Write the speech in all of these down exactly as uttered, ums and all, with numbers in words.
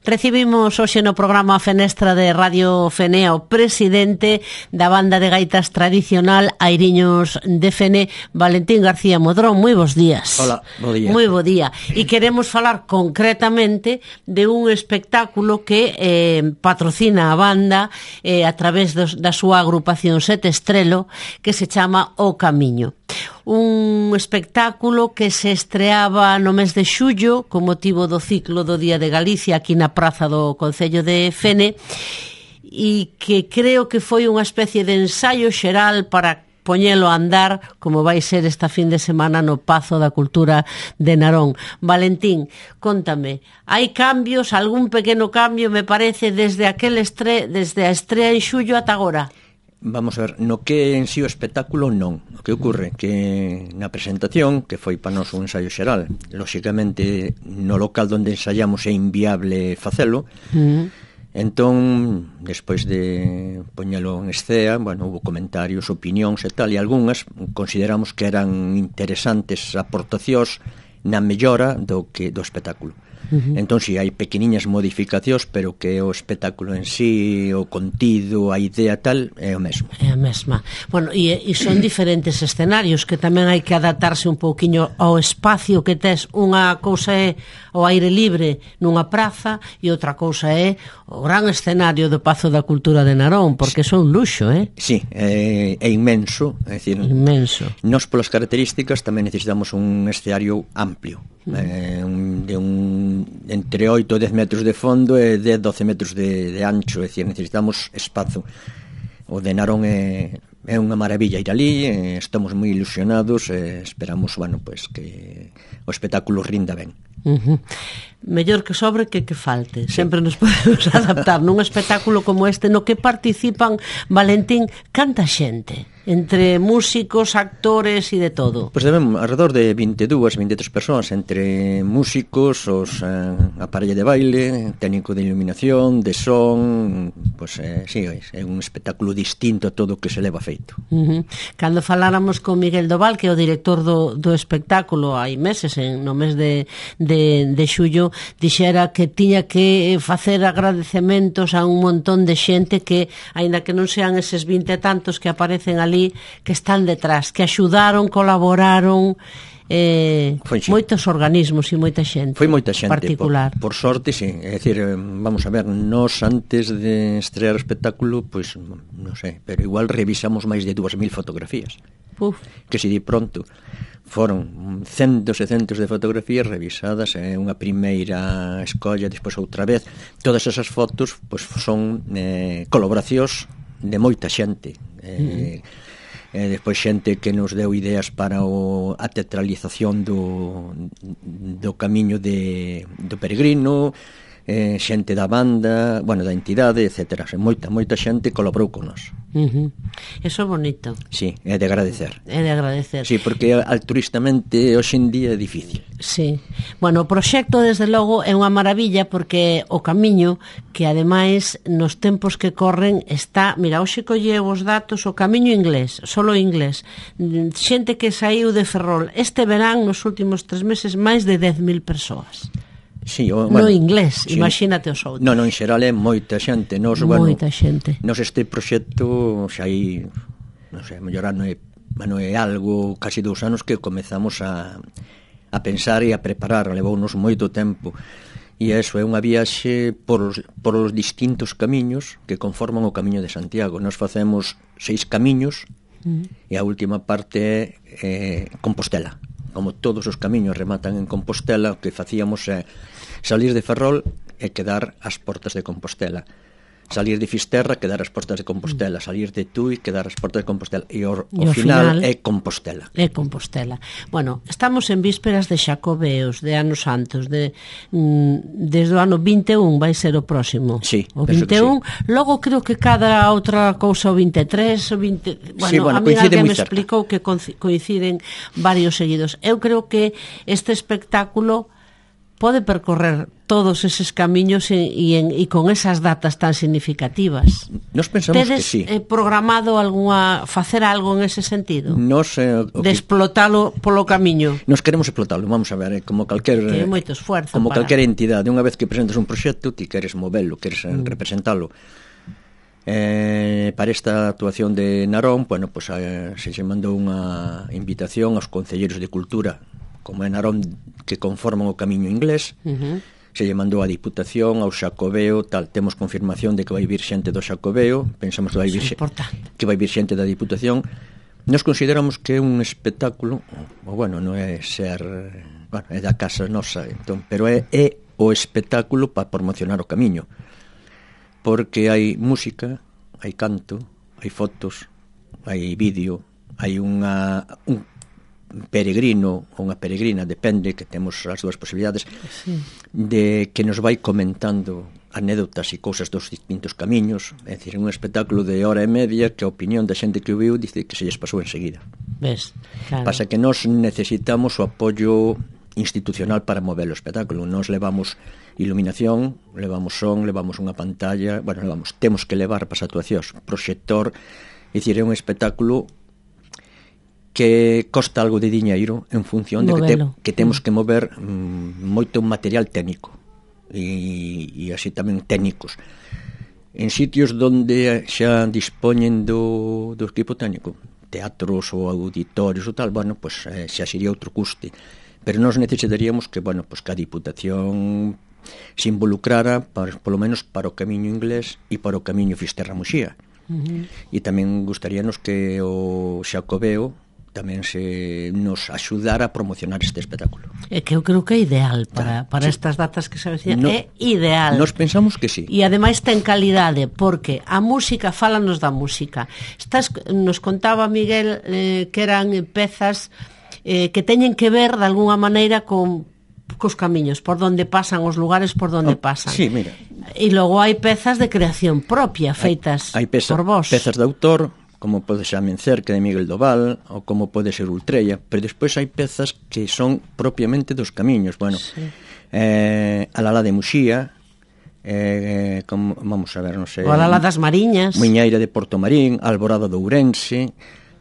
Recibimos hoxe no programa a Fenestra de Radio Fene o presidente da banda de gaitas tradicional Airiños de Fene, Valentín García Modrón. Moi bons días. Hola, bo día. Moi bo día. E queremos falar concretamente de un espectáculo que eh, patrocina a banda eh, a través dos, da súa agrupación Sete Estrelo, que se chama O Camiño. Un espectáculo que se estreaba no mes de xullo con motivo do ciclo do Día de Galicia aquí na praza do Concello de Fene, e que creo que foi unha especie de ensaio xeral para poñelo a andar como vai ser esta fin de semana no Pazo da Cultura de Narón. Valentín, contame, hai cambios, algún pequeno cambio me parece desde aquel estre, desde a estrea en xullo ata agora? Vamos a ver, no que en si o espectáculo non. O que ocorre que na presentación, que foi para nós un ensaio xeral, lóxicamente no local onde ensaiamos é inviable facelo, mm. entón, despois de poñelo en escea, bueno, hubo comentarios, opinións e tal, e algunhas consideramos que eran interesantes aportacións na mellora do que do espectáculo. Uh-huh. Entón, si, hai pequeniñas modificacións, pero que o espectáculo en sí, o contido, a idea tal, é o mesmo. É a mesma. Bueno, e, e son diferentes escenarios que tamén hai que adaptarse un pouquiño ao espacio que tes. Unha cousa é o aire libre nunha praza e outra cousa é o gran escenario do Pazo da Cultura de Narón, porque sí. Son luxo, eh? Sí, é, é inmenso, é dicir, inmenso. Nós, polas características, tamén necesitamos un escenario amplio, mm. eh, un, de un entre oito e dez metros de fondo e dez a doce metros de, de ancho, é dicir, necesitamos espazo. O de Narón é, é unha maravilla ir ali, eh, estamos moi ilusionados e esperamos, bueno, pues, que o espectáculo rinda ben. Uh-huh. Mellor que sobre que que falte. Sí. Sempre nos podemos adaptar nun espectáculo como este no que participan, Valentín, canta xente entre músicos, actores e de todo. Pois pues debemos alrededor de vinte e dúas, vinte e tres persoas, entre músicos, os eh, aparello de baile, técnico de iluminación, de son, pois pues, eh, sí, é un espectáculo distinto a todo o que se leva feito. Uh-huh. Cando faláramos con Miguel Doval, que é o director do, do espectáculo hai meses, en, no mes de, de, de xullo, dixera que tiña que facer agradecementos a un montón de xente que, aínda que non sean eses vinte e tantos que aparecen ali, que están detrás, que axudaron, colaboraron, eh, moitos organismos e moita xente. Foi moita xente, particular. Por, por sorte, sí. É dicir, vamos a ver, nós antes de estrear o espectáculo, pois, pues, non sei, pero igual revisamos máis de dúas mil fotografías. Uf. Que se di pronto foron centos e centos de fotografías revisadas, é eh, unha primeira escolla, despois outra vez. Todas esas fotos pois, son eh, colaboracións de moita xente. Eh, mm. E despois xente que nos deu ideas para o, a teatralización do, do camiño de, do peregrino, eh, xente da banda, bueno, da entidade, etcétera. Moita, moita xente colaborou con nós. Uh-huh. Eso é bonito. Sí, é de agradecer. É de agradecer. Sí, porque altruistamente hoxe en día é difícil. Sí. Bueno, o proxecto, desde logo, é unha maravilla porque o camiño, que ademais nos tempos que corren está, mira, hoxe colleu os datos, o camiño inglés, solo inglés, xente que saiu de Ferrol este verán, nos últimos tres meses, máis de dez mil persoas. Sí, o, bueno, no inglés, sí, imagínate os outros. Non, non, en xeral é moita xente. Nos, moita bueno, xente. Nos este proxecto xa hai, non sei, mellor ano é, bueno, é algo, casi dous anos que comezamos a, a pensar e a preparar, levounos moito tempo. E eso é unha viaxe por os, por os distintos camiños que conforman o Camiño de Santiago. Nos facemos seis camiños mm. e a última parte é eh, Compostela. Como todos os camiños rematan en Compostela, o que facíamos é salir de Ferrol e quedar ás portas de Compostela. Salir de Fisterra, quedar ás portas de Compostela. Salir de Tui, quedar ás portas de Compostela. E o, o, o final, final é Compostela. É Compostela. Bueno, estamos en vísperas de Xacobeos, de Anos Santos, de, mm, desde o ano vinte e un vai ser o próximo. Sí, o vinte e un. Sí. Logo creo que cada outra cousa o vinte e tres, o vinte... Bueno, sí, bueno, a mí alguén me cerca. Explicou que coinciden varios seguidos. Eu creo que este espectáculo pode percorrer todos eses camiños e, e, en, e con esas datas tan significativas. Nos pensamos Tedes, que sí. Tedes eh, programado alguna, facer algo en ese sentido? Nos, eh, de explotalo polo camiño? Nos queremos explotalo, vamos a ver, eh, como calquer que é moito esfuerzo como para... calquer entidade, unha vez que presentas un proxecto, ti queres movelo, queres mm. representalo. Eh, para esta actuación de Narón, bueno, pues, eh, se se mandou unha invitación aos concelleiros de cultura, como é Narón, que conforman o camiño inglés. Uh-huh. Se lle mandou a Diputación, ao Xacobeo, tal, temos confirmación de que vai vir xente do Xacobeo, pensamos que vai vir, xe, que vai vir xente da Diputación. Nos consideramos que é un espectáculo, o bueno, non é ser, bueno, é da casa nosa, entón, pero é, é o espectáculo para promocionar o camiño, porque hai música, hai canto, hai fotos, hai vídeo, hai unha un peregrino ou unha peregrina, depende, que temos as dúas posibilidades, sí, de que nos vai comentando anécdotas e cousas dos distintos camiños. É dicir, un espectáculo de hora e media que a opinión da xente que o viu dice que se lles pasou enseguida. Ves, claro. Pasa que nós necesitamos o apoio institucional para mover o espectáculo. Nos levamos iluminación, levamos son, levamos unha pantalla, bueno, levamos, temos que levar para as actuacións proxector. É dicir, é un espectáculo que costa algo de diñeiro en función de que, te, que temos que mover mm, moito material técnico e, e así tamén técnicos en sitios donde xa dispoñen do, do equipo técnico, teatros ou auditorios ou tal, bueno, pues eh, xa sería outro custe, pero nós necesitaríamos que, bueno, pues que a Diputación se involucrara para, polo menos para o camiño inglés e para o camiño Fisterra-Muxía. Uh-huh. E tamén gustaríanos que o Xacobeo tamén se nos axudara a promocionar este espectáculo. É que eu creo que é ideal para, para sí, estas datas que se avecinan, no, é ideal. Nos pensamos que sí. E ademais ten calidade, porque a música, fálanos da música. Estás, nos contaba Miguel eh, que eran pezas eh, que teñen que ver de alguna maneira con cos camiños, por donde pasan, os lugares por donde oh, pasan. Sí, mira. E logo hai pezas de creación propia, feitas hai, hai peza, por vos. Pezas de autor, como pode ser Amencer, que é de Miguel Doval, ou como pode ser Ultrella, pero despois hai pezas que son propiamente dos camiños. Bueno, sí, eh, Alalá de Muxía, eh, como, vamos a ver, non sei, o Alalá das Mariñas, Muiñeira de Portomarín, Alborada de Ourense.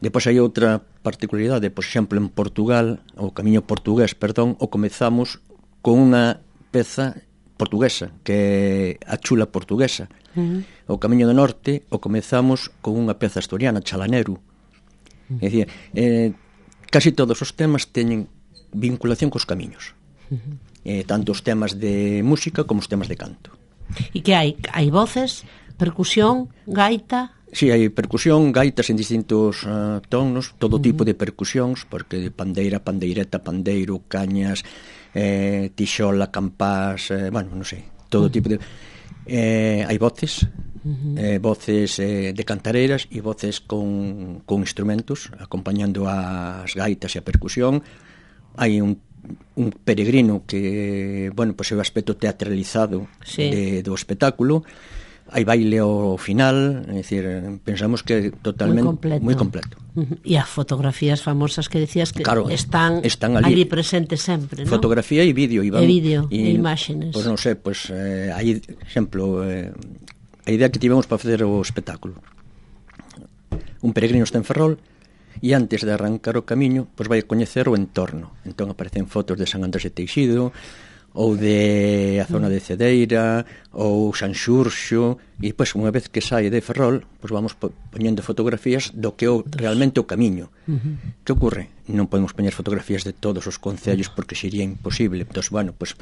Depois hai outra particularidade, por exemplo, en Portugal, o camiño portugués, perdón, o comezamos con unha peza portuguesa, que é a chula portuguesa. Uh-huh. O camiño do norte o comezamos con unha peza asturiana, Chalaneru. Uh-huh. É dicir, eh, casi todos os temas teñen vinculación cos camiños. Uh-huh. Eh, tanto os temas de música como os temas de canto. E que hai? Hai voces, percusión, gaita? Si, sí, hai percusión, gaitas en distintos uh, tonos, todo uh-huh, tipo de percusións, porque pandeira, pandeireta, pandeiro, cañas, eh, tixola, campás, eh, bueno, non sei, todo uh-huh, tipo de... Eh, hai voces, uh-huh, eh, voces eh, de cantareiras e voces con, con instrumentos acompañando as gaitas e a percusión. Hai un, un peregrino que, bueno, pues é o aspecto teatralizado, sí, de, do espectáculo. Hai baile ao final, é dicir, pensamos que totalmente moi completo, moi completo. Uh-huh. E as fotografías famosas que decías que claro, están, están ali, ali presentes sempre, ¿no? Fotografía e vídeo, e, e vídeo, e, e imágenes. Pois pues non sei, pois pues, eh, hai, exemplo, eh, a idea que tivemos para facer o espectáculo. Un peregrino está en Ferrol e antes de arrancar o camiño, pois pues vai a coñecer o entorno. Entón aparecen fotos de San Andrés de Teixido, ou de a zona de Cedeira, ou San Xurxo, e depois, unha vez que sai de Ferrol, pois vamos poñendo fotografías do que é realmente o camiño. Uh-huh. Que ocorre? Non podemos poñer fotografías de todos os concellos porque sería imposible. Entón, bueno, pois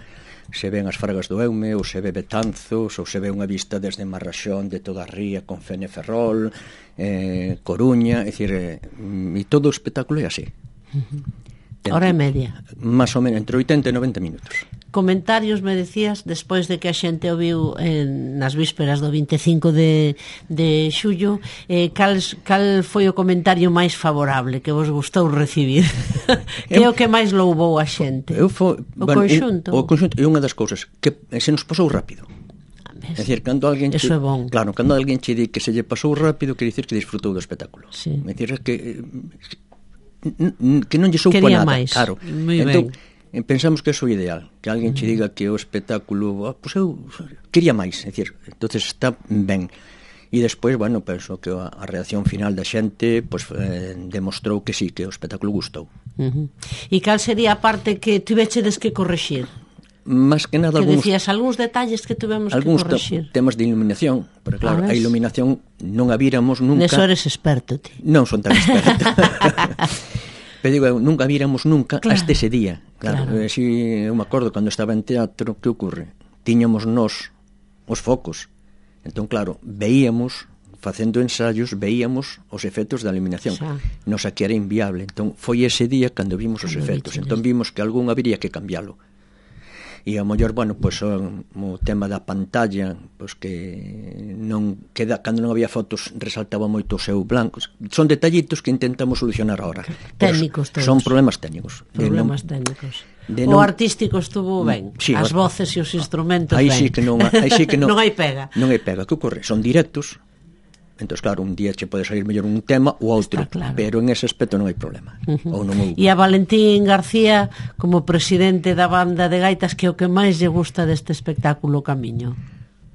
se ven as Fragas do Eume, ou se ve Betanzos, ou se ve unha vista desde Marraxón de toda a ría con Fene Ferrol, eh, Coruña, é dicir, eh, e todo o espectáculo é así. Uh-huh. Hora e media. Más ou menos, entre oitenta e noventa minutos. Comentarios, me decías, despois de que a xente o viu en, nas vísperas do vinte e cinco de, de xullo, eh, cal, cal foi o comentario máis favorable que vos gustou recibir? Que é o que máis louvou a xente? Eu fo, o bueno, conxunto? O conxunto é unha das cousas que se nos pasou rápido. É dicir, cando alguén Eso che, é bon. Claro, cando alguén che di que se lle pasou rápido, quer dicir que disfrutou do espectáculo. Sí. É dicir, que que non lle soupo Quería nada, máis. claro. Muy entón, ben. pensamos que é o ideal, que alguén che diga que o espectáculo, ah, pois eu quería máis, é dicir, entonces está ben. E despois, bueno, penso que a, a reacción final da xente pois, eh, demostrou que sí, que o espectáculo gustou. Uh-huh. E cal sería a parte que tivechedes que corrixir? Más que nada, que algúns, decías, algúns detalles que tuvemos que corrixir. Algúns temas de iluminación, pero claro, a, a iluminación non a víramos nunca. Neso eres experto, ti. Non son tan experto. Pero digo, nunca víramos nunca, claro, hasta ese día. Claro, claro. Si, eu me acordo, cando estaba en teatro, que ocorre? Tiñamos nós os focos. Entón, claro, veíamos, facendo ensayos, veíamos os efectos da iluminación. Xa. Nos aquí era inviable. Entón, foi ese día cando vimos os efectos. Entón, vimos que algún habería que cambiálo. E ao mellor, bueno, pois o, o tema da pantalla, pois que non queda, cando non había fotos resaltaba moito o seu blanco. Son detallitos que intentamos solucionar ahora. Técnicos todos. Son problemas técnicos. Problemas non, técnicos. O non, artístico estuvo ben, sí, as voces e os instrumentos aí ben. Sí que non, aí sí que non, non hai pega. Non hai pega. Que ocorre? Son directos. Entón, claro, un día che pode salir mellor un tema ou outro, claro, pero en ese aspecto non hai problema. Uh-huh. Ou non houve. E a Valentín García, como presidente da banda de gaitas, que é o que máis lle gusta deste espectáculo Camiño?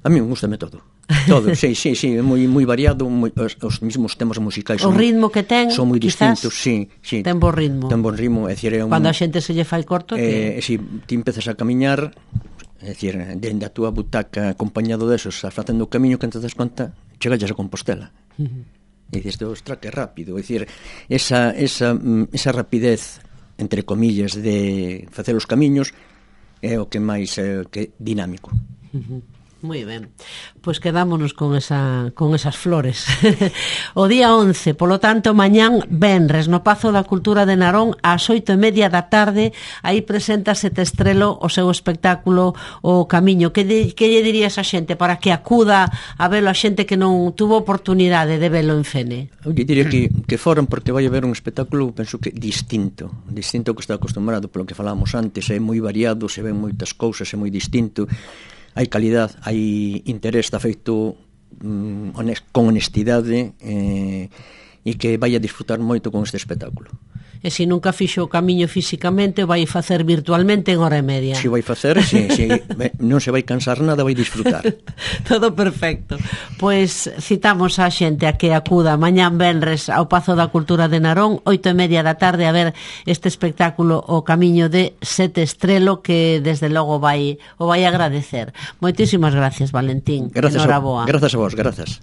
A mí me gustame todo. Todo, sí, sí, sí, é moi moi variado, moi, os, os mismos temas musicais o son, ritmo que ten, son moi distintos, sí, sí. Ten bo ritmo. Ten bo ritmo, é dicir, é un, cando a xente se lle fai corto, eh, que... si ti empezas a camiñar, é dicir, dende a túa butaca acompañado desos, a facendo o camiño, que entonces conta, chegalles a Compostela. Uh-huh. E dices, ostra, que rápido, é dicir, esa, esa, esa rapidez, entre comillas, de facer os camiños é o que máis é, que dinámico. Uh-huh. Moi ben, pois quedámonos con esa con esas flores. O día once, polo tanto, mañán venres no Pazo da Cultura de Narón ás oito e media da tarde. Aí presenta Sete Estrelo o seu espectáculo O Camiño. Que, de, que lle dirías a xente para que acuda a velo, a xente que non tuvo oportunidade de velo en Fene? Eu diría que, que foran, porque vai haber un espectáculo, penso que distinto, distinto ao que está acostumbrado, polo que falábamos antes, é moi variado, se ven moitas cousas, é moi distinto. Hai calidad, hai interés, está feito mm, honest, con honestidade eh, e que vai a disfrutar moito con este espectáculo. E se nunca fixo o Camiño físicamente, vai facer virtualmente en hora e media. Se vai facer, si, si, non se vai cansar nada, vai disfrutar. Todo perfecto. Pois citamos a xente a que acuda mañán venres ao Pazo da Cultura de Narón, oito e media da tarde, a ver este espectáculo O Camiño de Sete Estrelo, que desde logo vai o vai agradecer. Moitísimas gracias, Valentín. Gracias. Enhoraboa. Grazas a vos, grazas.